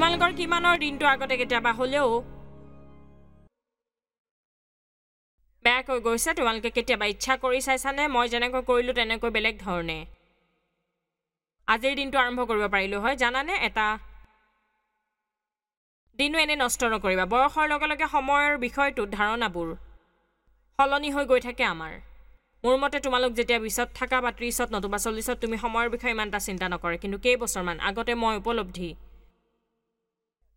তোমালোকৰ কিমানৰ দিনটো আগতে কেতিয়াবা হ'লেও বেয়াকৈ গৈছে? তোমালোকে কেতিয়াবা ইচ্ছা কৰি চাইছানে মই যেনেকৈ কৰিলোঁ তেনেকৈ বেলেগ ধৰণে আজিৰ দিনটো আৰম্ভ কৰিব পাৰিলোঁ হয়? জানানে, এটা দিনো এনে নষ্ট নকৰিবা। বয়সৰ লগে লগে সময়ৰ বিষয়টোত ধাৰণাবোৰ সলনি হৈ গৈ থাকে আমাৰ। মোৰ মতে তোমালোক যেতিয়া 20ত থাকা বা 30ত নতুবা 40ত তুমি সময়ৰ বিষয়ে ইমান এটা চিন্তা নকৰে। কিন্তু কেইবছৰমান আগতে মই উপলব্ধি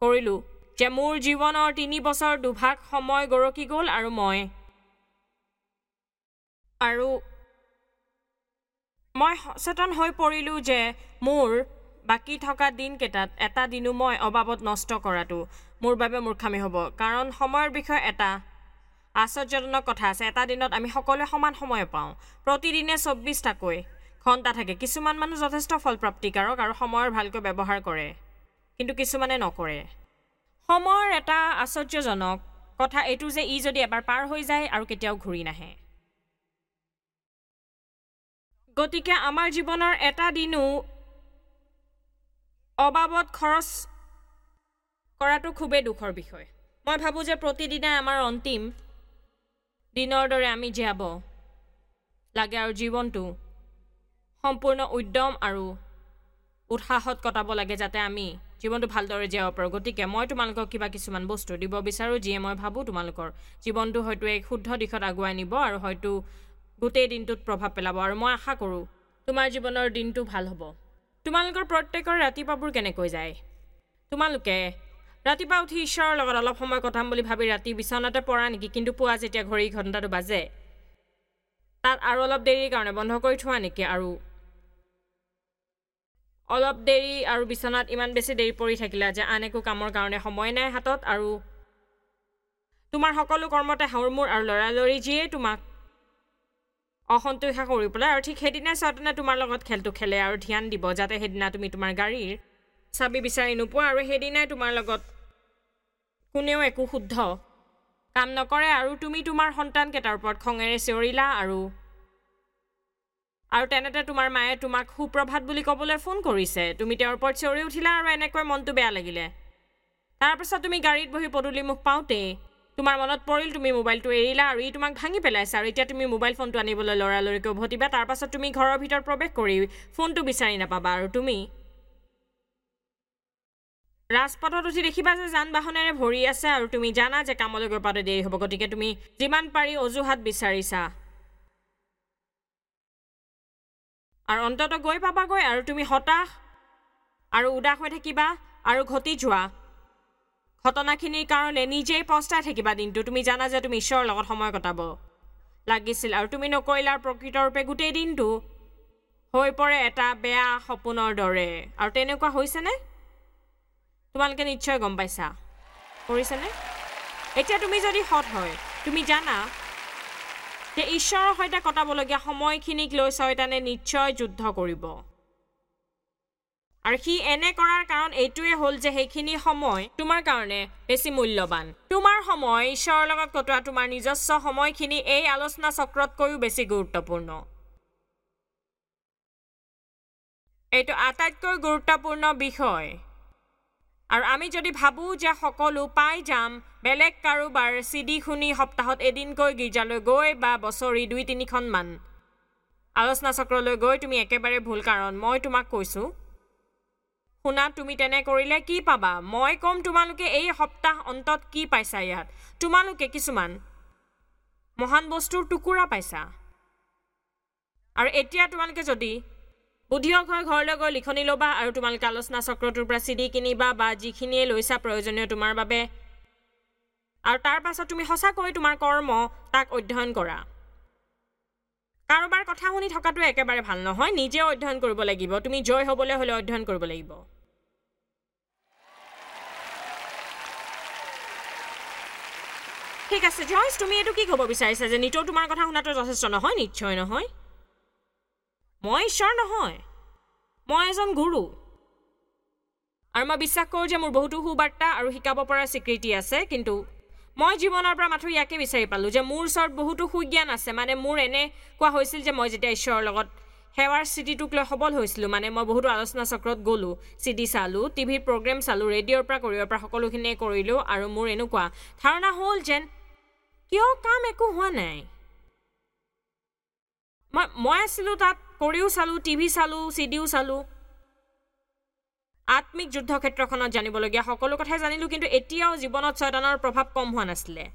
কৰিলোঁ যে মোৰ জীৱনৰ 3 বছৰ দুভাগ সময় গৰকি গ'ল আৰু মই সচেতন হৈ পৰিলোঁ যে মোৰ বাকী থকা দিনকেইটাত এটা দিনো মই অবাবত নষ্ট কৰাটো মোৰ বাবে মূৰ্খামি হ'ব। কাৰণ সময়ৰ বিষয়ে এটা আশ্চৰ্যজনক কথা আছে। এটা দিনত আমি সকলোৱে সমান সময় পাওঁ। প্ৰতিদিনে 24টাকৈ ঘণ্টা থাকে। কিছুমান মানুহ যথেষ্ট ফলপ্ৰাপ্তিকাৰক আৰু সময়ৰ ভালকৈ ব্যৱহাৰ কৰে, কিন্তু কিছুমানে নকৰে। সময়ৰ এটা আশ্চৰ্যজনক কথা এইটো যে ই যদি এবাৰ পাৰ হৈ যায় আৰু কেতিয়াও ঘূৰি নাহে। গতিকে আমাৰ জীৱনৰ এটা দিনো অবাবত খৰচ কৰাটো খুবেই দুখৰ বিষয়। মই ভাবোঁ যে প্ৰতিদিনাই আমাৰ অন্তিম দিনৰ দৰে আমি জীয়াব লাগে আৰু জীৱনটো সম্পূৰ্ণ উদ্যম আৰু উৎসাহত কটাব লাগে, যাতে আমি জীৱনটো ভালদৰে জীয়াব পাৰোঁ। গতিকে মই তোমালোকক কিবা কিছুমান বস্তু দিব বিচাৰোঁ যিয়ে মই ভাবোঁ তোমালোকৰ জীৱনটো হয়তো এক শুদ্ধ দিশত আগুৱাই নিব আৰু হয়তো গোটেই দিনটোত প্ৰভাৱ পেলাব। আৰু মই আশা কৰোঁ তোমাৰ জীৱনৰ দিনটো ভাল হ'ব। তোমালোকৰ প্ৰত্যেকৰ ৰাতিপুৱাবোৰ কেনেকৈ যায়? তোমালোকে ৰাতিপুৱা উঠি ঈশ্বৰৰ লগত অলপ সময় কটাম বুলি ভাবি ৰাতি বিচনাতে পৰা নেকি? কিন্তু পুৱা যেতিয়া ঘড়ী ঘণ্টাটো বাজে তাত আৰু অলপ দেৰিৰ কাৰণে বন্ধ কৰি থোৱা নেকি? আৰু অলপ দেৰি আৰু বিচনাত ইমান বেছি দেৰি পৰি থাকিলা যে আন একো কামৰ কাৰণে সময় নাই হাতত, আৰু তোমাৰ সকলো কৰ্মতে হাউৰমূৰ আৰু লৰালৰি যিয়ে তোমাক অসন্তোষা কৰি পেলাই। আৰু ঠিক সেইদিনাই ছয়তানে তোমাৰ লগত খেলটো খেলে আৰু ধ্যান দিব যাতে সেইদিনা তুমি তোমাৰ গাড়ীৰ চাবি বিচাৰি নোপোৱা, আৰু সেইদিনাই তোমাৰ লগত কোনেও একো শুদ্ধ কাম নকৰে, আৰু তুমি তোমাৰ সন্তানকেইটাৰ ওপৰত খঙেৰে চিঞৰিলা, আৰু আৰু তেনেতে তোমাৰ মায়ে তোমাক সুপ্ৰভাত বুলি ক'বলৈ ফোন কৰিছে, তুমি তেওঁৰ ওপৰত চিঞৰি উঠিলা আৰু এনেকৈ মনটো বেয়া লাগিলে। তাৰপিছত তুমি গাড়ীত বহি পদূলিমুখ পাওঁতেই তোমাৰ মনত পৰিল তুমি মোবাইলটো এৰিলা আৰু ই তোমাক ভাঙি পেলাইছে, আৰু এতিয়া তুমি মোবাইল ফোনটো আনিবলৈ লৰালৰিকৈ উভতিবা। তাৰপাছত তুমি ঘৰৰ ভিতৰত প্ৰৱেশ কৰি ফোনটো বিচাৰি নাপাবা, আৰু তুমি ৰাজপথত উঠি দেখিবা যে যান বাহনেৰে ভৰি আছে, আৰু তুমি জানা যে কামলৈ গৈ পাওঁতে দেৰি হ'ব, গতিকে তুমি যিমান পাৰি অজুহাত বিচাৰিছা আৰু অন্ততঃ গৈ পাবাগৈ, আৰু তুমি হতাশ আৰু উদাস হৈ থাকিবা আৰু ঘটি যোৱা ঘটনাখিনিৰ কাৰণে নিজেই পস্তাই থাকিবা দিনটো। তুমি জানা যে তুমি ঈশ্বৰৰ লগত সময় কটাব লাগিছিল আৰু তুমি নকৰিলা, প্ৰকৃতৰূপে গোটেই দিনটো হৈ পৰে এটা বেয়া সপোনৰ দৰে। আৰু তেনেকুৱা হৈছেনে? তোমালোকে নিশ্চয় গম পাইছা, কৰিছেনে? এতিয়া তুমি যদি সৎ হয়, তুমি জানা যে ঈশ্বৰৰ সৈতে কটাবলগীয়া সময়খিনিক লৈ ছয়তানে নিশ্চয় যুদ্ধ কৰিব, আৰু সি এনে কৰাৰ কাৰণ এইটোৱে হ'ল যে সেইখিনি সময় তোমাৰ কাৰণে বেছি মূল্যৱান। তোমাৰ সময় ঈশ্বৰৰ লগত কটোৱা তোমাৰ নিজস্ব সময়খিনি এই আলোচনা চক্ৰতকৈও বেছি গুৰুত্বপূৰ্ণ। এইটো আটাইতকৈ গুৰুত্বপূৰ্ণ বিষয়। আৰু আমি যদি ভাবোঁ যে সকলো পাই যাম বেলেগ কাৰোবাৰ চিডি শুনি সপ্তাহত এদিনকৈ গীৰ্জালৈ গৈ বা বছৰি 2-3খনমান আলোচনা চক্ৰলৈ গৈ, তুমি একেবাৰে ভুল। কাৰণ মই তোমাক কৈছোঁ, শুনা, তুমি তেনে কৰিলে কি পাবা? মই ক'ম তোমালোকে এই সপ্তাহ অন্তত কি পাইছা। ইয়াত তোমালোকে কিছুমান মহান বস্তুৰ টুকুৰা পাইছা। আৰু এতিয়া তোমালোকে যদি বুদ্ধিয়ক হৈ ঘৰলৈ গৈ লিখনি ল'বা আৰু তোমালোকে আলোচনা চক্ৰটোৰ পৰা চিডি কিনিবা বা যিখিনিয়ে লৈছা প্ৰয়োজনীয় তোমাৰ বাবে, আৰু তাৰ পাছত তুমি সঁচাকৈ তোমাৰ কৰ্ম তাক অধ্যয়ন কৰা। কাৰোবাৰ কথা শুনি থকাটো একেবাৰে ভাল নহয়, নিজেও অধ্যয়ন কৰিব লাগিব। তুমি জয় হ'বলৈ হ'লে অধ্যয়ন কৰিব লাগিব। ঠিক আছে জয়ছ, তুমি এইটো কি ক'ব বিচাৰিছা যে নিতৌ তোমাৰ কথা শুনাটো যথেষ্ট নহয়? নিশ্চয় নহয়। মই ঈশ্বৰ নহয়, মই এজন গুৰু, আৰু মই বিশ্বাস কৰোঁ যে মোৰ বহুতো সুবাৰ্তা আৰু শিকাব পৰা স্বীকৃতি আছে, কিন্তু মই জীৱনৰ পৰা মাথো ইয়াকে বিচাৰি পালোঁ যে মোৰ ওচৰত বহুতো সুজ্ঞান আছে। মানে মোৰ এনে কোৱা হৈছিল যে মই যেতিয়া ঈশ্বৰৰ লগত সেৱাৰ স্থিতিটোক লৈ সবল হৈছিলোঁ। মানে মই বহুতো আলোচনা চক্ৰত গ'লোঁ, চিডি চালোঁ, টিভিৰ প্ৰগ্ৰেম চালোঁ, ৰেডিঅ'ৰ পৰা কৰিবৰ পৰা সকলোখিনিয়ে কৰিলোঁ আৰু মোৰ এনেকুৱা ধাৰণা হ'ল যেন কিয় কাম একো হোৱা নাই। মই আছিলোঁ তাত, কৰিও চালোঁ, টিভি চালোঁ, চিডিও চালোঁ, আত্মিক যুদ্ধক্ষেত্ৰখনত জানিবলগীয়া সকলো কথাই জানিলোঁ, কিন্তু এতিয়াও জীৱনত ছয়তানৰ প্ৰভাৱ কম হোৱা নাছিলে।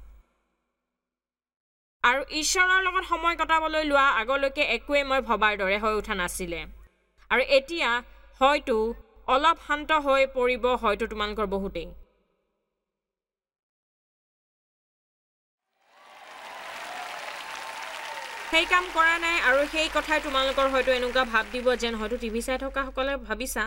আৰু ঈশ্বৰৰ লগত সময় কটাবলৈ লোৱা আগলৈকে একোৱেই মই ভবাৰ দৰে হৈ উঠা নাছিলে। আৰু এতিয়া হয়তো অলপ শান্ত হৈ পৰিব, হয়তো তোমালোকৰ বহুতেই। সেই কাম কৰা নাই আৰু সেই কথাই তোমালোকৰ হয়তো এনেকুৱা ভাৱ দিব যেন হয়তো টিভি চাই থকাসকলে ভাবিছা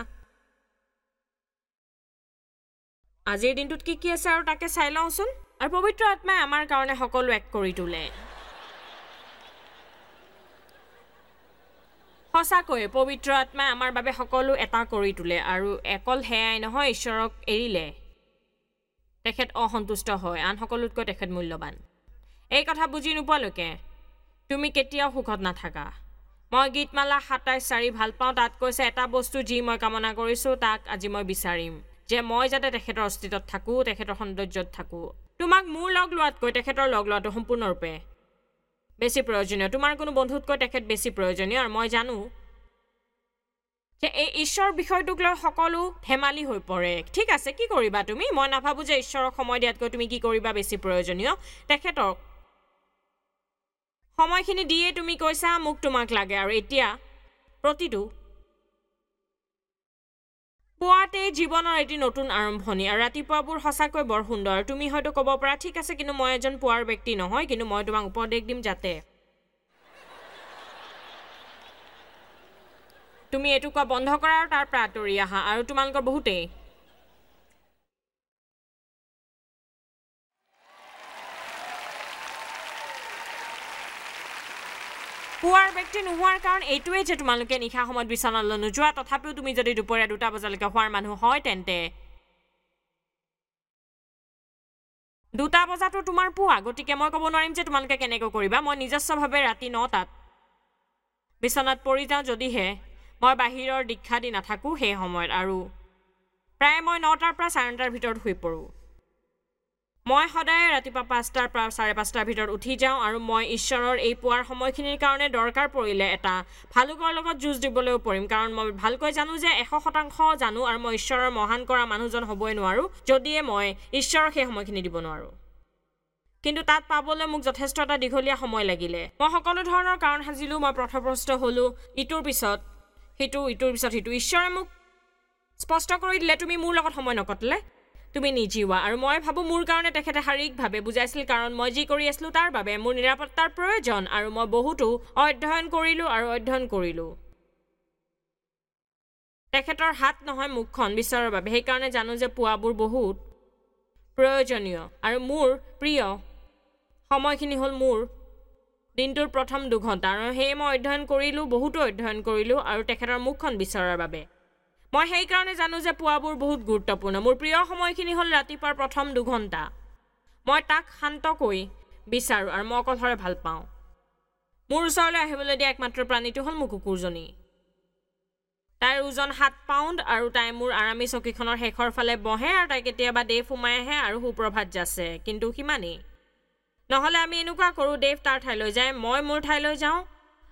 আজিৰ দিনটোত কি কি আছে আৰু তাকে চাই লওঁচোন। আৰু পবিত্ৰ আত্মাই আমাৰ কাৰণে সকলো এক কৰি তোলে। সঁচাকৈয়ে পবিত্ৰ আত্মাই আমাৰ বাবে সকলো এটা কৰি তোলে। আৰু অকল সেয়াই নহয়, ঈশ্বৰক এৰিলে তেখেত অসন্তুষ্ট হয়, আন সকলোতকৈ তেখেত মূল্যৱান। এই কথা বুজি নোপোৱালৈকে তুমি কেতিয়াও সুখত নাথাকা। মই গীতমালা 27:4 ভাল পাওঁ। তাত কৈছে, এটা বস্তু যি মই কামনা কৰিছোঁ তাক আজি মই বিচাৰিম, যে মই যাতে তেখেতৰ অস্তিত্বত থাকোঁ, তেখেতৰ সৌন্দৰ্যত থাকোঁ। তোমাক মোৰ লগ লোৱাতকৈ তেখেতৰ লগ লোৱাটো সম্পূৰ্ণৰূপে বেছি প্ৰয়োজনীয়। তোমাৰ কোনো বন্ধুতকৈ তেখেত বেছি প্ৰয়োজনীয়। আৰু মই জানো যে এই ঈশ্বৰ বিষয়টোক লৈ সকলো ধেমালি হৈ পৰে। ঠিক আছে, কি কৰিবা তুমি? মই নাভাবোঁ যে ঈশ্বৰক সময় দিয়াতকৈ তুমি কি কৰিবা বেছি প্ৰয়োজনীয়। তেখেতক সময়খিনি দিয়ে তুমি কৈছা মোক তোমাক লাগে। আৰু এতিয়া প্ৰতিটো পুৱাতেই জীৱনৰ এটি নতুন আৰম্ভণি। আৰু ৰাতিপুৱাবোৰ সঁচাকৈ বৰ সুন্দৰ। তুমি হয়তো ক'ব পাৰা, ঠিক আছে, কিন্তু মই এজন পুৱাৰ ব্যক্তি নহয়, কিন্তু মই তোমাক উপদেশ দিম যাতে তুমি এইটো কোৱা বন্ধ কৰা আৰু তাৰ পৰা আঁতৰি আহা। আৰু তোমালোকৰ বহুতেই পুৱাৰ ব্যক্তি নোহোৱাৰ কাৰণ এইটোৱেই যে তোমালোকে নিশা সময়ত বিচনালৈ নোযোৱা। তথাপিও তুমি যদি দুপৰীয়া 2 বজালৈকে হোৱাৰ মানুহ হয়, তেন্তে 2 বজাতো তোমাৰ পুৱা। গতিকে মই ক'ব নোৱাৰিম যে তোমালোকে কেনেকৈ কৰিবা। মই নিজস্বভাৱে ৰাতি 9টাত বিচনাত পৰি যাওঁ, যদিহে মই বাহিৰৰ দীক্ষা দি নাথাকোঁ সেই সময়ত। আৰু প্ৰায় মই 9টাৰ পৰা 9:30টাৰ ভিতৰত শুই পৰোঁ। মই সদায় ৰাতিপুৱা 5টাৰ পৰা 5:30টাৰ ভিতৰত উঠি যাওঁ। আৰু মই ঈশ্বৰৰ এই পুৱাৰ সময়খিনিৰ কাৰণে দৰকাৰ পৰিলে এটা ভালুকৰ লগত যুঁজ দিবলৈও পৰিম, কাৰণ মই ভালকৈ জানো যে 100% জানো আৰু মই ঈশ্বৰৰ মহান কৰা মানুহজন হ'বই নোৱাৰোঁ যদিহে মই ঈশ্বৰক সেই সময়খিনি দিব নোৱাৰোঁ। কিন্তু তাত পাবলৈ মোক যথেষ্ট এটা দীঘলীয়া সময় লাগিলে। মই সকলো ধৰণৰ কাৰণ সাজিলোঁ, মই পথভ্ৰষ্ট হ'লোঁ, ইটোৰ পিছত সিটো, ইটোৰ পিছত সিটো। ঈশ্বৰে মোক স্পষ্ট কৰি দিলে, তুমি মোৰ লগত সময় নকটালে তুমি নিজিওৱা। আৰু মই ভাবোঁ মোৰ কাৰণে তেখেতে শাৰীৰিকভাৱে বুজাইছিল, কাৰণ মই যি কৰি আছিলোঁ তাৰ বাবে মোৰ নিৰাপত্তাৰ প্ৰয়োজন। আৰু মই বহুতো অধ্যয়ন কৰিলোঁ আৰু অধ্যয়ন কৰিলোঁ, তেখেতৰ হাত নহয় মুখখন বিচৰাৰ বাবে। সেইকাৰণে জানো যে পুৱাবোৰ বহুত প্ৰয়োজনীয়। আৰু মোৰ প্ৰিয় সময়খিনি হ'ল মোৰ দিনটোৰ প্ৰথম 2 ঘণ্টা। আৰু সেয়ে মই অধ্যয়ন কৰিলোঁ, বহুতো অধ্যয়ন কৰিলোঁ, আৰু তেখেতৰ মুখখন বিচৰাৰ বাবে। মই সেইকাৰণে জানো যে পুৱাবোৰ বহুত গুৰুত্বপূৰ্ণ। মোৰ প্ৰিয় সময়খিনি হ'ল ৰাতিপুৱাৰ প্ৰথম 2 ঘণ্টা। মই তাক শান্তকৈ বিচাৰোঁ আৰু মই অকলশৰে ভাল পাওঁ। মোৰ ওচৰলৈ আহিবলৈ দিয়া একমাত্ৰ প্ৰাণীটো হ'ল মোৰ কুকুৰজনী। তাইৰ ওজন 7 পাউণ্ড আৰু তাই মোৰ আৰামী চকীখনৰ শেষৰ ফালে বহে আৰু তাই কেতিয়াবা দেৱ সোমাই আহে আৰু সুপ্ৰভাত যাচে, কিন্তু সিমানেই। নহ'লে আমি এনেকুৱা কৰোঁ, দেৱ তাৰ ঠাইলৈ যায়, মই মোৰ ঠাইলৈ যাওঁ।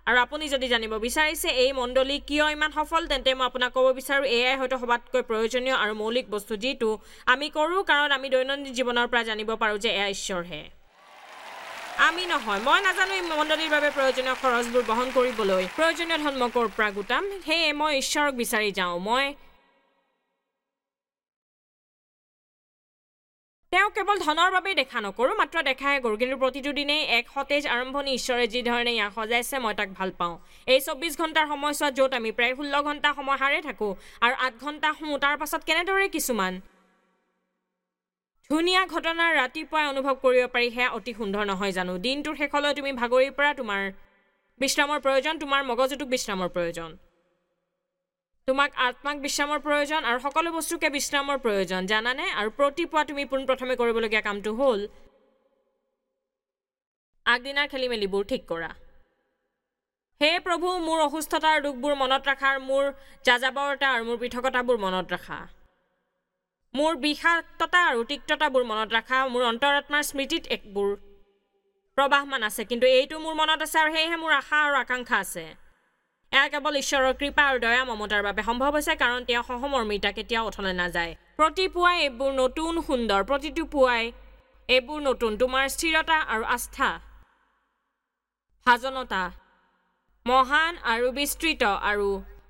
আৰু আপুনি যদি জানিব বিচাৰিছে এই মণ্ডলী কিয় ইমান সফল, তেন্তে মই আপোনাক ক'ব বিচাৰোঁ এয়াই হয়তো সবাতকৈ প্ৰয়োজনীয় আৰু মৌলিক বস্তু যিটো আমি কৰোঁ, কাৰণ আমি দৈনন্দিন জীৱনৰ পৰা জানিব পাৰোঁ যে এয়া ঈশ্বৰহে, আমি নহয়। মই নাজানো এই মণ্ডলীৰ বাবে প্ৰয়োজনীয় খৰচবোৰ বহন কৰিবলৈ প্ৰয়োজনীয় ধন মই ক'ৰ পৰা গোটাম, সেয়ে মই ঈশ্বৰক বিচাৰি যাওঁ। মই তেওঁ কেৱল ধনৰ বাবেই দেখা নকৰোঁ, মাত্ৰ দেখাহে কৰোঁ, কিন্তু প্ৰতিটো দিনেই এক সতেজ আৰম্ভণি। ঈশ্বৰে যি ধৰণে ইয়াক সজাইছে মই তাক ভাল পাওঁ। এই 24 ঘণ্টাৰ সময়ছোৱাত য'ত আমি প্ৰায় 16 ঘণ্টা সময় সাৰে থাকোঁ আৰু 8 ঘণ্টা শুওঁ, তাৰ পাছত কেনেদৰে কিছুমান ধুনীয়া ঘটনা ৰাতিপুৱাই অনুভৱ কৰিব পাৰি, সেয়া অতি সুন্দৰ নহয় জানো? দিনটোৰ শেষলৈ তুমি ভাগৰিৰ পৰা তোমাৰ বিশ্ৰামৰ প্ৰয়োজন, তোমাৰ মগজুটোক বিশ্ৰামৰ প্ৰয়োজন, তোমাক আত্মাক বিশ্ৰামৰ প্ৰয়োজন, আৰু সকলো বস্তুকে বিশ্ৰামৰ প্ৰয়োজন, জানানে? আৰু প্ৰতিপুৱা তুমি পোনপ্ৰথমে কৰিবলগীয়া কামটো হ'ল আগদিনাৰ খেলি মেলিবোৰ ঠিক কৰা। হে প্ৰভু, মোৰ অসুস্থতাৰ দুখবোৰ মনত ৰাখা, মোৰ যাযাবৰতা আৰু মোৰ পৃথকতাবোৰ মনত ৰাখা, মোৰ বিষাক্ততা আৰু তিক্ততাবোৰ মনত ৰাখা। মোৰ অন্তৰাত্মাৰ স্মৃতিত একবোৰ প্ৰবাহমান আছে, কিন্তু এইটো মোৰ মনত আছে আৰু সেয়েহে মোৰ আশা আৰু আকাংক্ষা আছে। এয়া কেৱল ঈশ্বৰৰ কৃপা আৰু দয়া মমতাৰ বাবে সম্ভৱ হৈছে, কাৰণ তেওঁ সহমৰ্মিতা কেতিয়াও অথলে নাযায়। প্ৰতি পুৱাই এইবোৰ নতুন সুন্দৰ, প্ৰতিটো পুৱাই এইবোৰ নতুন। তোমাৰ স্থিৰতা আৰু আস্থা ভাজনতা মহান আৰু বিস্তৃত। আৰু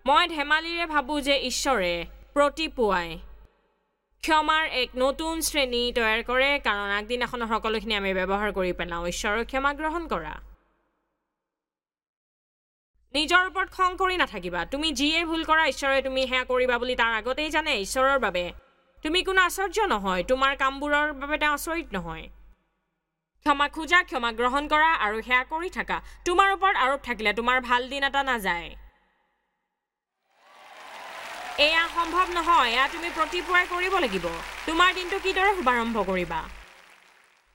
মই ধেমালিৰে ভাবোঁ যে ঈশ্বৰে প্ৰতি পুৱাই ক্ষমাৰ এক নতুন শ্ৰেণী তৈয়াৰ কৰে, কাৰণ আগদিনাখনৰ সকলোখিনি আমি ব্যৱহাৰ কৰি পেলাওঁ। ঈশ্বৰৰ ক্ষমা গ্ৰহণ কৰা। নিজৰ ওপৰত খং কৰি নাথাকিবা। তুমি যিয়ে ভুল কৰা, ঈশ্বৰে তুমি সেয়া কৰিবা বুলি তাৰ আগতেই জানে। ঈশ্বৰৰ বাবে তুমি কোনো আশ্চৰ্য নহয়, তোমাৰ কামবোৰৰ বাবে তেওঁ আচৰিত নহয়। ক্ষমা খোজা, ক্ষমা গ্ৰহণ কৰা আৰু সেয়া কৰি থাকা। তোমাৰ ওপৰত আৰোপ থাকিলে তোমাৰ ভাল দিন এটা নাযায়। এয়া সম্ভৱ নহয়, এয়া তুমি প্ৰতিপুৱাই কৰিব লাগিব। তোমাৰ দিনটো কিদৰে শুভাৰম্ভ কৰিবা?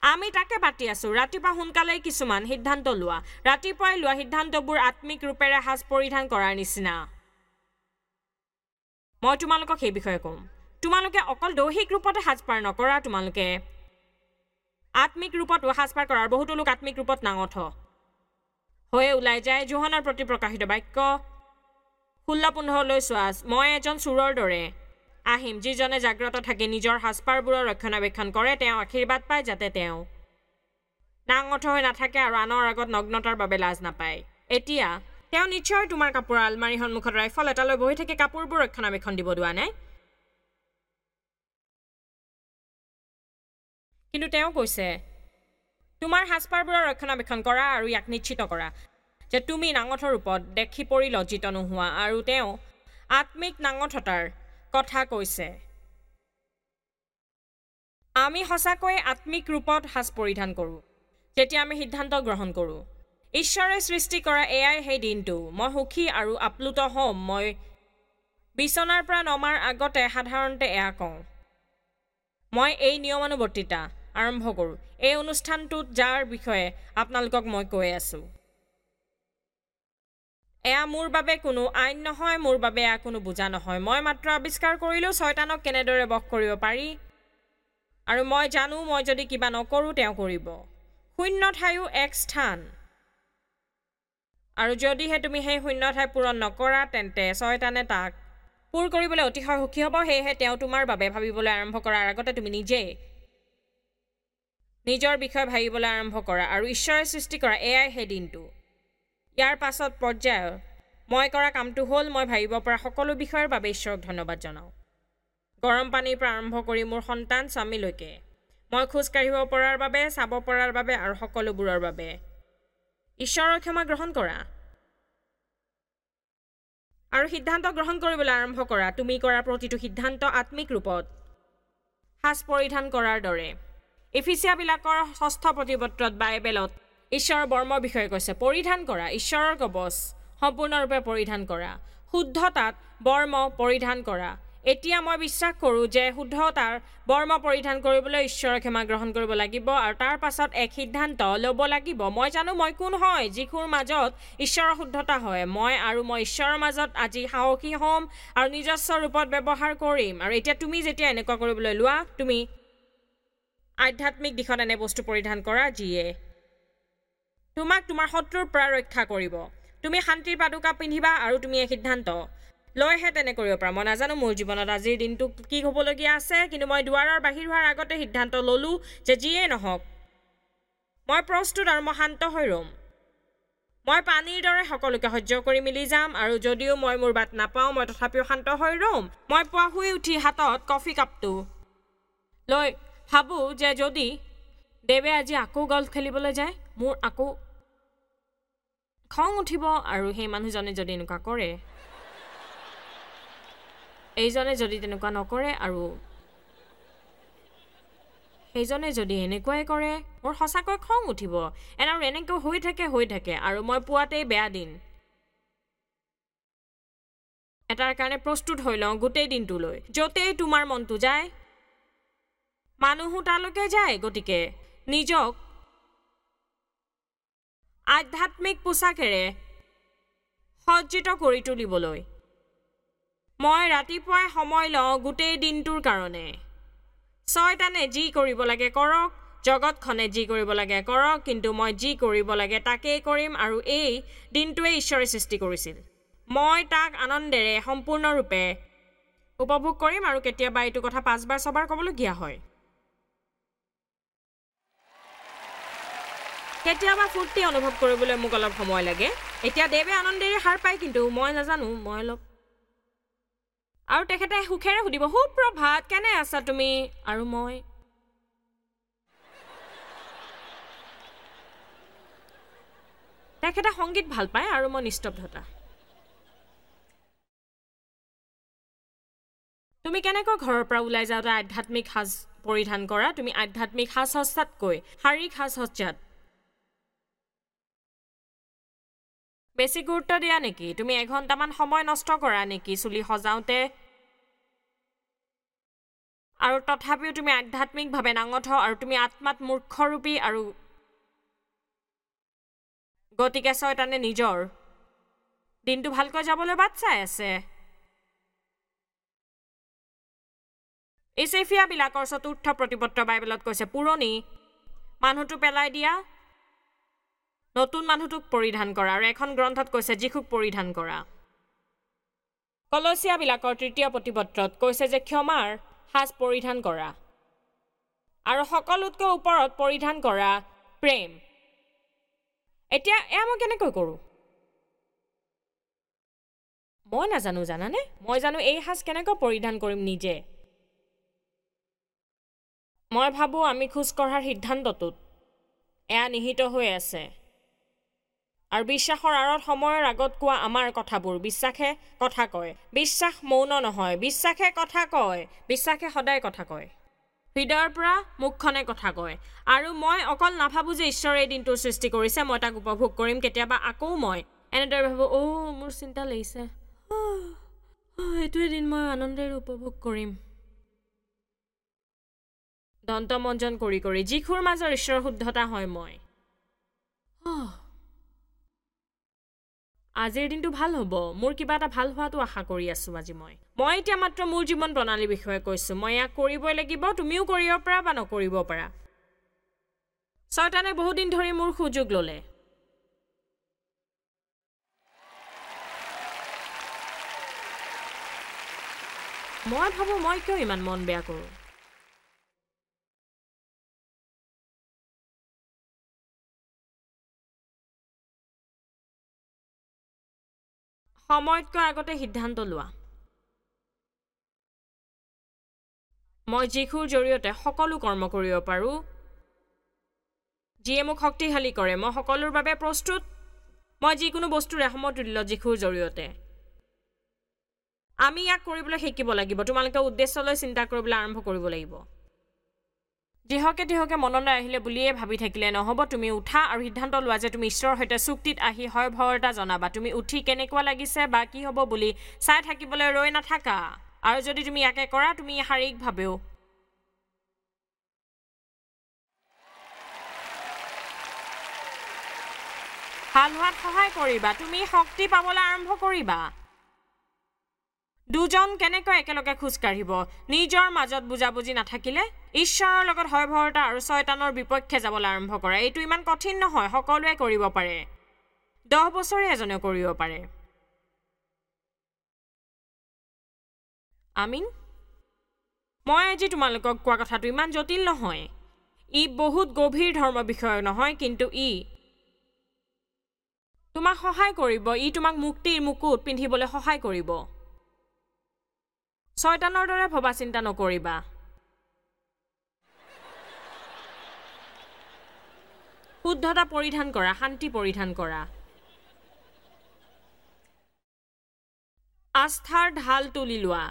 আমি তাকে পাতি আছোঁ। ৰাতিপুৱা সোনকালেই কিছুমান সিদ্ধান্ত লোৱা। ৰাতিপুৱাই লোৱা সিদ্ধান্তবোৰ আত্মিক ৰূপেৰে সাজ পৰিধান কৰাৰ নিচিনা। মই তোমালোকক সেই বিষয়ে ক'ম। তোমালোকে অকল দৈহিক ৰূপতে সাজপাৰ নকৰা, তোমালোকে আত্মিক ৰূপতো সাজপাৰ কৰাৰ। বহুতো লোক আত্মিক ৰূপত নাঙঠ হৈয়ে ওলাই যায়। যোহনৰ প্ৰতি প্ৰকাশিত বাক্য 16:15 চোৱা, মই এজন চোৰৰ দৰে আহিম, যিজনে জাগ্ৰত থাকি নিজৰ সাজপাৰবোৰৰ ৰক্ষণাবেক্ষণ কৰে, তেওঁ আশীৰ্বাদ পায়, যাতে তেওঁ নাঙঠ হৈ নাথাকে আৰু আনৰ আগত নগ্নতাৰ বাবে লাজ নাপায়। এতিয়া তেওঁ নিশ্চয় তোমাৰ কাপোৰৰ আলমাৰীৰ সন্মুখত ৰাইফল এটা লৈ বহি থাকি কাপোৰবোৰ ৰক্ষণাবেক্ষণ দিব দোৱা নাই, কিন্তু তেওঁ কৈছে তোমাৰ সাজপাৰবোৰৰ ৰক্ষণাবেক্ষণ কৰা আৰু ইয়াক নিশ্চিত কৰা যে তুমি নাঙঠ ৰূপত দেখি পৰি লজ্জিত নোহোৱা। আৰু তেওঁ আত্মিক নাঙঠতাৰ কথা কৈছে। আমি সঁচাকৈয়ে আত্মিক ৰূপত সাজ পৰিধান কৰোঁ যেতিয়া আমি সিদ্ধান্ত গ্ৰহণ কৰোঁ। ঈশ্বৰে সৃষ্টি কৰা এয়াই সেই দিনটো। মই সুখী আৰু আপ্লুত হ'ম। মই বিচনাৰ পৰা নমাৰ আগতে সাধাৰণতে এয়া কওঁ, মই এই নিয়মানুৱৰ্তিতা আৰম্ভ কৰোঁ এই অনুষ্ঠানটোত, যাৰ বিষয়ে আপোনালোকক মই কৈ আছোঁ। এয়া মোৰ বাবে কোনো আইন নহয়, মোৰ বাবে এয়া কোনো বোজা নহয়। মই মাত্ৰ আৱিষ্কাৰ কৰিলোঁ ছয়তানক কেনেদৰে বশ কৰিব পাৰি, আৰু মই জানো মই যদি কিবা নকৰোঁ তেওঁ কৰিব। শূন্য ঠাইও এক স্থান, আৰু যদিহে তুমি সেই শূন্য ঠাই পূৰণ নকৰা, তেন্তে ছয়তানে তাক পূৰ কৰিবলৈ অতিশয় সুখী হ'ব। সেয়েহে তেওঁ তোমাৰ বাবে ভাবিবলৈ আৰম্ভ কৰাৰ আগতে তুমি নিজেই নিজৰ বিষয়ে ভাবিবলৈ আৰম্ভ কৰা আৰু ঈশ্বৰে সৃষ্টি কৰা এয়াই সেই দিনটো। ইয়াৰ পাছত পৰ্যায়ত মই কৰা কামটো হ'ল মই ভাবিব পৰা সকলো বিষয়ৰ বাবে ঈশ্বৰক ধন্যবাদ জনাওঁ। গৰম পানীৰ পৰা আৰম্ভ কৰি মোৰ সন্তান স্বামীলৈকে, মই খোজ কাঢ়িব পৰাৰ বাবে, চাব পৰাৰ বাবে আৰু সকলোবোৰৰ বাবে ঈশ্বৰৰ ক্ষমা গ্ৰহণ কৰা আৰু সিদ্ধান্ত গ্ৰহণ কৰিবলৈ আৰম্ভ কৰা। তুমি কৰা প্ৰতিটো সিদ্ধান্ত আত্মিক ৰূপত সাজ পৰিধান কৰাৰ দৰে। এফিচিয়াবিলাকৰ 6 প্ৰতিপত্ৰত বাইবেলত ঈশ্বৰৰ বৰ্মৰ বিষয়ে কৈছে, পৰিধান কৰা ঈশ্বৰৰ কবচ সম্পূৰ্ণৰূপে পৰিধান কৰা, শুদ্ধতাত বৰ্ম পৰিধান কৰা। এতিয়া মই বিশ্বাস কৰোঁ যে শুদ্ধতাৰ বৰ্ম পৰিধান কৰিবলৈ ঈশ্বৰৰ ক্ষমা গ্ৰহণ কৰিব লাগিব আৰু তাৰ পাছত এক সিদ্ধান্ত ল'ব লাগিব। মই জানো মই কোন হয়, যীশুৰ মাজত ঈশ্বৰৰ শুদ্ধতা হয়। মই আৰু মই ঈশ্বৰৰ মাজত আজি সাহসী হ'ম আৰু নিজস্ব ৰূপত ব্যৱহাৰ কৰিম। আৰু এতিয়া তুমি যেতিয়া এনেকুৱা কৰিবলৈ লোৱা, তুমি আধ্যাত্মিক দিশত এনে বস্তু পৰিধান কৰা যিয়ে তোমাক তোমাৰ শত্ৰুৰ পৰা ৰক্ষা কৰিব। তুমি শান্তিৰ পাদুকা পিন্ধিবা আৰু তুমি এই সিদ্ধান্ত লৈহে তেনে কৰিব পাৰা। মই নাজানো মোৰ জীৱনত আজিৰ দিনটো কি হ'বলগীয়া আছে, কিন্তু মই দুৱাৰৰ বাহিৰ হোৱাৰ আগতে সিদ্ধান্ত ল'লোঁ যে যিয়েই নহওক মই প্ৰস্তুত আৰু মই শান্ত হৈ ৰ'ম। মই পানীৰ দৰে সকলোকে সহ্য কৰি মিলি যাম, আৰু যদিও মই মোৰ বাট নাপাওঁ, মই তথাপিও শান্ত হৈ ৰ'ম। মই পুৱা শুই উঠি হাতত কফি কাপটো লৈ ভাবোঁ যে যদি দেৱে আজি আকৌ গল্ফ খেলিবলৈ যায়, মোৰ আকৌ খং উঠিব, আৰু সেই মানুহজনে যদি এনেকুৱা কৰে, এইজনে যদি তেনেকুৱা নকৰে, আৰু সেইজনে যদি এনেকুৱাই কৰে, মোৰ সঁচাকৈ খং উঠিব। আৰু এনেকৈ হৈ থাকে আৰু মই পুৱাতেই বেয়া দিন এটাৰ কাৰণে প্ৰস্তুত হৈ লওঁ গোটেই দিনটোলৈ। য'তেই তোমাৰ মনটো যায়, মানুহো তালৈকে যায়। গতিকে নিজক আধ্যাত্মিক পোছাকেৰে সজ্জিত কৰি তুলিবলৈ। মই ৰাতিপুৱাই সময় লওঁ গোটেই দিনটোৰ কাৰণে। ছয়তানে যি কৰিব লাগে কৰক, জগতখনে যি কৰিব লাগে কৰক, কিন্তু মই যি কৰিব লাগে তাকেই কৰিম আৰু এই দিনটোৱে ঈশ্বৰে সৃষ্টি কৰিছিল। মই তাক আনন্দেৰে সম্পূৰ্ণৰূপে উপভোগ কৰিম আৰু কেতিয়াবা এইটো কথা 5বাৰ 6বাৰ ক'বলগীয়া হয়। কেতিয়াবা ফূৰ্তি অনুভৱ কৰিবলৈ মোক অলপ সময় লাগে। এতিয়া দেৱে আনন্দেৰে সাৰ পায়, কিন্তু মই নাজানো, মই অলপ আৰু তেখেতে সুখেৰে সুধিব, সুপ্ৰভাত, কেনে আছা তুমি? আৰু মই তেখেতে সংগীত ভাল পায় আৰু মই নিস্তব্ধতা। তুমি কেনেকৈ ঘৰৰ পৰা ওলাই যাওঁতে আধ্যাত্মিক সাজ পৰিধান কৰা? তুমি আধ্যাত্মিক সাজ সজ্জাতকৈ শাৰীৰিক সাজ সজ্জাত বেছি গুৰুত্ব দিয়া নেকি? তুমি এঘণ্টামান সময় নষ্ট কৰা নেকি চুলি সজাওঁতে? আৰু তথাপিও তুমি আধ্যাত্মিকভাৱে নাঙঠ আৰু তুমি আত্মাত মূৰ্খৰূপী আৰু গতিকে ছয়তানে নিজৰ দিনটো ভালকৈ যাবলৈ বাট চাই আছে। ইচেফিয়াবিলাকৰ 4ৰ্থ প্ৰতিপত্ৰ বাইবেলত কৈছে, পুৰণি মানুহটো পেলাই দিয়া, নতুন মানুহটোক পৰিধান কৰা। আৰু এখন গ্ৰন্থত কৈছে, যীশুক পৰিধান কৰা। কলচীয়াবিলাকৰ 3য় প্ৰতিপত্ৰত কৈছে যে ক্ষমাৰ সাজ পৰিধান কৰা আৰু সকলোতকৈ ওপৰত পৰিধান কৰা প্ৰেম। এতিয়া এয়া মই কেনেকৈ কৰোঁ মই নাজানো, জানানে? মই জানো এই সাজ কেনেকৈ পৰিধান কৰিম নিজে। মই ভাবোঁ আমি খোজ কঢ়াৰ সিদ্ধান্তটোত এয়া নিহিত হৈ আছে। আৰু বিশ্বাসৰ আঁৰত সময়ৰ আগত কোৱা আমাৰ কথাবোৰ, বিশ্বাসে কথা কয়। বিশ্বাস মৌন নহয়, বিশ্বাসে কথা কয়। বিশ্বাসে সদায় কথা কয়, হৃদয়ৰ পৰা মুখখনে কথা কয়। আৰু মই অকল নাভাবোঁ যে ঈশ্বৰে এই দিনটোৰ সৃষ্টি কৰিছে, মই তাক উপভোগ কৰিম। কেতিয়াবা আকৌ মই এনেদৰে ভাবোঁ, অ' মোৰ চিন্তা লাগিছে, এইটোৱে দিন মই আনন্দেৰে উপভোগ কৰিম। দন্তমঞ্জন কৰি কৰি যীশুৰ মাজৰ ঈশ্বৰৰ শুদ্ধতা হয় মই। আজিৰ দিনটো ভাল হ'ব, মোৰ কিবা এটা ভাল হোৱাটো আশা কৰি আছোঁ আজি। মই এতিয়া মাত্ৰ মোৰ জীৱন প্ৰণালীৰ বিষয়ে কৈছোঁ। মই ইয়াক কৰিবই লাগিব, তুমিও কৰিব পাৰা বা নকৰিব পাৰা। ছয়তানে বহুদিন ধৰি মোৰ সুযোগ ল'লে। মই ভাবোঁ মই কিয় ইমান মন বেয়া কৰোঁ। সময়তকৈ আগতে সিদ্ধান্ত লোৱা। মই যীশুৰ জৰিয়তে সকলো কৰ্ম কৰিব পাৰোঁ যিয়ে মোক শক্তিশালী কৰে। মই সকলোৰ বাবে প্ৰস্তুত। মই যিকোনো বস্তুৰে সমতুল্য যীশুৰ জৰিয়তে। আমি ইয়াক কৰিবলৈ শিকিব লাগিব। তোমালোকে উদ্দেশ্যলৈ চিন্তা কৰিবলৈ আৰম্ভ কৰিব লাগিব। যিহকে তিহকে মনলৈ আহিলে বুলিয়ে ভাবি থাকিলে নহ'ব। তুমি উঠা আৰু সিদ্ধান্ত লোৱা যে তুমি ঈশ্বৰৰ সৈতে চুক্তিত আহি হয় ভৰতা জনাবা। তুমি উঠি কেনেকুৱা লাগিছে বা কি হ'ব বুলি চাই থাকিবলৈ ৰৈ নাথাকা। আৰু যদি তুমি ইয়াকে কৰা, তুমি শাৰীৰিকভাৱেও ভাল হোৱাত সহায় কৰিবা। তুমি শক্তি পাবলৈ আৰম্ভ কৰিবা। দুজন কেনেকৈ একেলগে খোজ কাঢ়িব? নিজৰ মাজত বুজাবুজি নাথাকিলে ঈশ্বৰৰ লগত হয় ভৰতা আৰু ছয়তানৰ বিপক্ষে যাবলৈ আৰম্ভ কৰা। এইটো ইমান কঠিন নহয়, সকলোৱে কৰিব পাৰে। 10 বছৰে এজনে কৰিব পাৰে। আমিন। মই আজি তোমালোকক কোৱা কথাটো ইমান জটিল নহয়। ই বহুত গভীৰ ধৰ্ম বিষয় নহয়, কিন্তু ই তোমাক সহায় কৰিব। ই তোমাক মুক্তিৰ মুকুট পিন্ধিবলৈ সহায় কৰিব। ছয়তানৰ দৰে ভবা চিন্তা নকৰিবা। শুদ্ধতা পৰিধান কৰা, শান্তি পৰিধান কৰা, আস্থাৰ ঢাল তুলি লোৱা।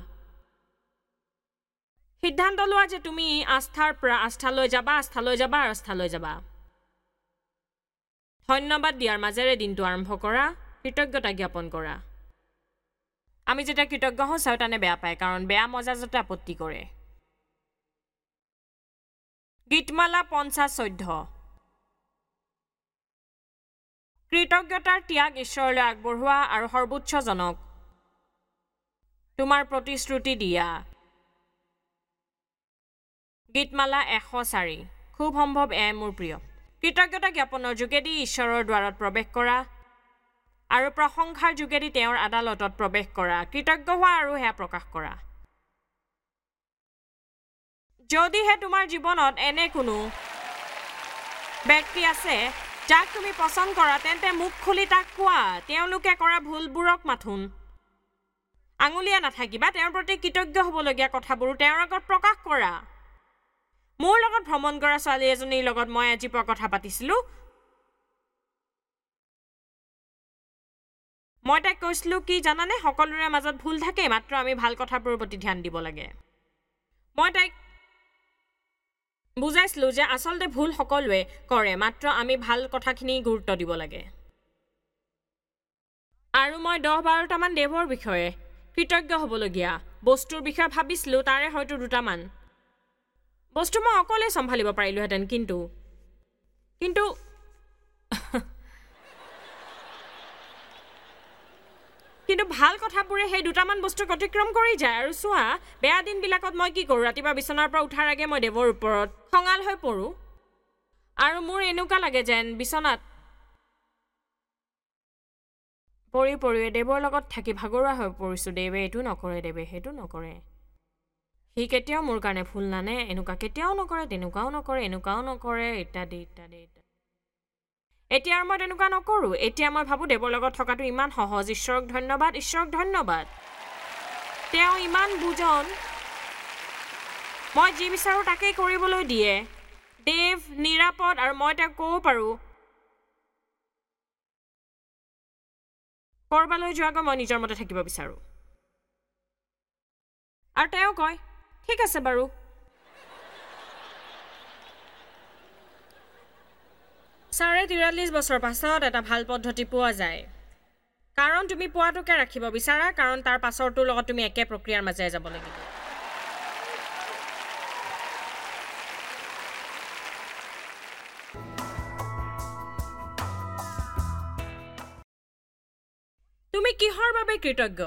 সিদ্ধান্ত লোৱা যে তুমি আস্থাৰ পৰা আস্থালৈ যাবা, আস্থালৈ যাবা আৰু আস্থালৈ যাবা। ধন্যবাদ দিয়াৰ মাজেৰে দিনটো আৰম্ভ কৰা, কৃতজ্ঞতা জ্ঞাপন কৰা। আমি যেতিয়া কৃতজ্ঞ হওঁ, ছয়তানে বেয়া পায়, কাৰণ বেয়া মজাজতে আপত্তি কৰে। গীতমালা 50:14। কৃতজ্ঞতাৰ ত্যাগ ঈশ্বৰলৈ আগবঢ়োৱা আৰু সৰ্বোচ্চজনক তোমাৰ প্ৰতিশ্ৰুতি দিয়া। গীতমালা 104। খুব সম্ভৱ এয়াই মোৰ প্ৰিয়। কৃতজ্ঞতা জ্ঞাপনৰ যোগেদি ঈশ্বৰৰ দ্বাৰত প্ৰৱেশ কৰা আৰু প্ৰশংসাৰ যোগেদি তেওঁৰ আদালতত প্ৰৱেশ কৰা। কৃতজ্ঞ হোৱা আৰু সেয়া প্ৰকাশ কৰা। যদিহে তোমাৰ জীৱনত এনে কোনো ব্যক্তি আছে যাক তুমি পচন্দ কৰা, তেন্তে মুখ খুলি তাক কোৱা। তেওঁলোকে কৰা ভুলবোৰক মাথোন আঙুলিয়া নাথাকিবা, তেওঁৰ প্ৰতি কৃতজ্ঞ হ'বলগীয়া কথাবোৰো তেওঁৰ আগত প্ৰকাশ কৰা। মোৰ লগত ভ্ৰমণ কৰা ছোৱালী এজনীৰ লগত মই আজি পুৱা কথা পাতিছিলোঁ। মই তাইক কৈছিলোঁ কি জানানে, সকলোৰে মাজত ভুল থাকে, মাত্ৰ আমি ভাল কথাবোৰৰ প্ৰতি ধ্যান দিব লাগে। মই তাইক বুজাইছিলোঁ যে আচলতে ভুল সকলোৱে কৰে, মাত্ৰ আমি ভাল কথাখিনি গুৰুত্ব দিব লাগে। আৰু মই 10-12টামান দেৱৰ বিষয়ে কৃতজ্ঞ হ'বলগীয়া বস্তুৰ বিষয়ে ভাবিছিলোঁ। তাৰে হয়তো দুটামান বস্তু মই অকলেই চম্ভালিব পাৰিলোহেঁতেন, কিন্তু কিন্তু কিন্তু ভাল কথাবোৰে সেই দুটামান বস্তুক অতিক্ৰম কৰি যায়। আৰু চোৱা, বেয়া দিনবিলাকত মই কি কৰোঁ, ৰাতিপুৱা বিচনাৰ পৰা উঠাৰ আগে মই দেৱৰ ওপৰত খঙাল হৈ পৰোঁ আৰু মোৰ এনেকুৱা লাগে যেন বিচনাত পৰি পৰিয়ে দেৱৰ লগত থাকি ভাগৰুৱা হৈ পৰিছোঁ। দেৱে এইটো নকৰে, দেৱে সেইটো নকৰে, সি কেতিয়াও মোৰ কাৰণে ফুল নানে, এনেকুৱা কেতিয়াও নকৰে, তেনেকুৱাও নকৰে, এনেকুৱাও নকৰে, ইত্যাদি ইত্যাদি ইত্যাদি। এতিয়া আৰু মই তেনেকুৱা নকৰোঁ। এতিয়া মই ভাবোঁ দেৱৰ লগত থকাটো ইমান সহজ। ঈশ্বৰক ধন্যবাদ, ঈশ্বৰক ধন্যবাদ, তেওঁ ইমান বুজন, মই যি বিচাৰোঁ তাকেই কৰিবলৈ দিয়ে। দেৱ নিৰাপদ আৰু মই তেওঁক ক'ব পাৰোঁ ক'ৰবালৈ যোৱাকৈ মই নিজৰ মতে থাকিব বিচাৰোঁ। আৰু তেওঁ কয় ঠিক আছে বাৰু। 43.5 বছৰ পাছত এটা ভাল পদ্ধতি পোৱা যায়, কাৰণ তুমি পোৱাটোকে ৰাখিব বিচাৰা, কাৰণ তাৰ পাছৰটোৰ লগত তুমি একে প্ৰক্ৰিয়াৰ মাজেৰে যাব লাগিব। তুমি কিহৰ বাবে কৃতজ্ঞ?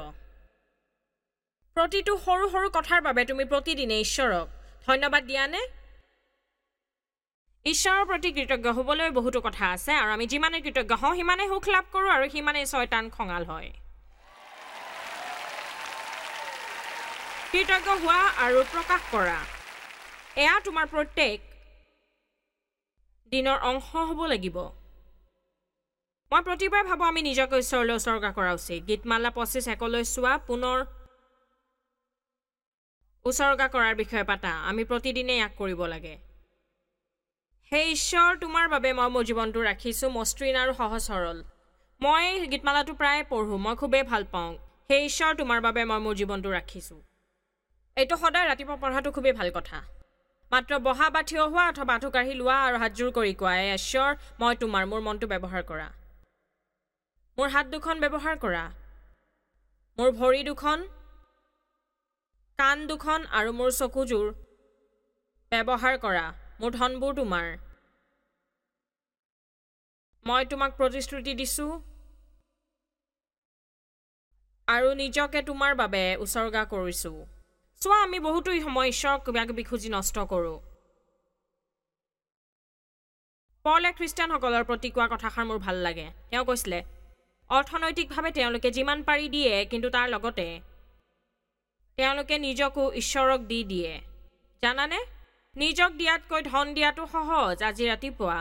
প্ৰতিটো সৰু সৰু কথাৰ বাবে তুমি প্ৰতিদিনে ঈশ্বৰক ধন্যবাদ দিয়ানে? ঈশ্বৰৰ প্ৰতি কৃতজ্ঞ হ'বলৈ বহুতো কথা আছে, আৰু আমি যিমানেই কৃতজ্ঞ হওঁ সিমানেই সুখ লাভ কৰোঁ আৰু সিমানেই ছয়তান খঙাল হয়। কৃতজ্ঞ হোৱা আৰু প্ৰকাশ কৰা, এয়া তোমাৰ প্ৰত্যেক দিনৰ অংশ হ'ব লাগিব। মই প্ৰতিবাৰে ভাবোঁ আমি নিজকে ঈশ্বৰলৈ উছৰ্গা কৰা উচিত। গীতমালা 25:1 চোৱা, পুনৰ উছৰ্গা কৰাৰ বিষয়ে পাতা। আমি প্ৰতিদিনে ইয়াক কৰিব লাগে। হে ঈশ্বৰ, তোমাৰ বাবে মই মোৰ জীৱনটো ৰাখিছোঁ মসৃণ আৰু সহজ সৰল। মই গীতমালাটো প্ৰায়ে পঢ়োঁ, মই খুবেই ভাল পাওঁ। হে ঈশ্বৰ, তোমাৰ বাবে মই মোৰ জীৱনটো ৰাখিছোঁ। এইটো সদায় ৰাতিপুৱা পঢ়াটো খুবেই ভাল কথা। মাত্ৰ বহা বা থিয় হোৱা অথবা আঁঠু কাঢ়ি লোৱা আৰু হাতযোৰ কৰি কোৱা, হে ঈশ্বৰ, মই তোমাৰ, মোৰ মনটো ব্যৱহাৰ কৰা, মোৰ হাত দুখন ব্যৱহাৰ কৰা, মোৰ ভৰি দুখন, কাণ দুখন আৰু মোৰ চকুযোৰ ব্যৱহাৰ কৰা। মোৰ ধনবোৰ তোমাৰ। মই তোমাক প্ৰতিশ্ৰুতি দিছোঁ আৰু নিজকে তোমাৰ বাবে উছৰ্গা কৰিছোঁ। চোৱা, আমি বহুতো সময় ঈশ্বৰক কিবা কিবি খুজি নষ্ট কৰোঁ। পলে খ্ৰীষ্টানসকলৰ প্ৰতি কোৱা কথাষাৰ মোৰ ভাল লাগে। তেওঁ কৈছিলে, অৰ্থনৈতিকভাৱে তেওঁলোকে যিমান পাৰি দিয়ে, কিন্তু তাৰ লগতে তেওঁলোকে নিজকো ঈশ্বৰক দি দিয়ে। জানানে, নিজক দিয়াতকৈ ধন দিয়াটো সহজ। আজি ৰাতিপুৱা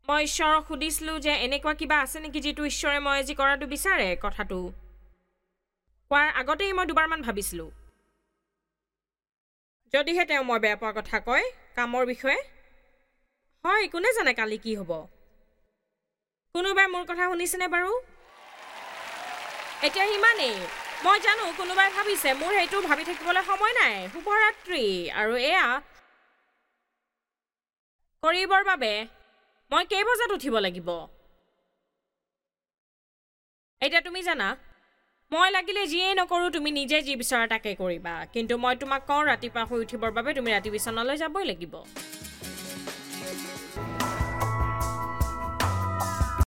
মই ঈশ্বৰক সুধিছিলোঁ যে এনেকুৱা কিবা আছে নেকি যিটো ঈশ্বৰে মই আজি কৰাটো বিচাৰে। কথাটো কোৱাৰ আগতেই মই দুবাৰমান ভাবিছিলোঁ, যদিহে তেওঁ মই বেয়া পোৱা কথা কয় কামৰ বিষয়ে, হয় কোনে জানে কালি কি হ'ব। কোনোবাই মোৰ কথা শুনিছেনে বাৰু? এতিয়া সিমানেই। মই জানো কোনোবাই ভাবিছে মোৰ সেইটো ভাবি থাকিবলৈ সময় নাই। শুভৰাত্ৰি। আৰু এয়া কৰিবৰ বাবে মই কেইবজাত উঠিব লাগিব? এতিয়া তুমি জানা, মই লাগিলে যিয়েই নকৰোঁ তুমি নিজে যি বিচৰা তাকে কৰিবা, কিন্তু মই তোমাক কওঁ ৰাতিপুৱা শুই উঠিবৰ বাবে তুমি ৰাতি বিচনালৈ যাবই লাগিব।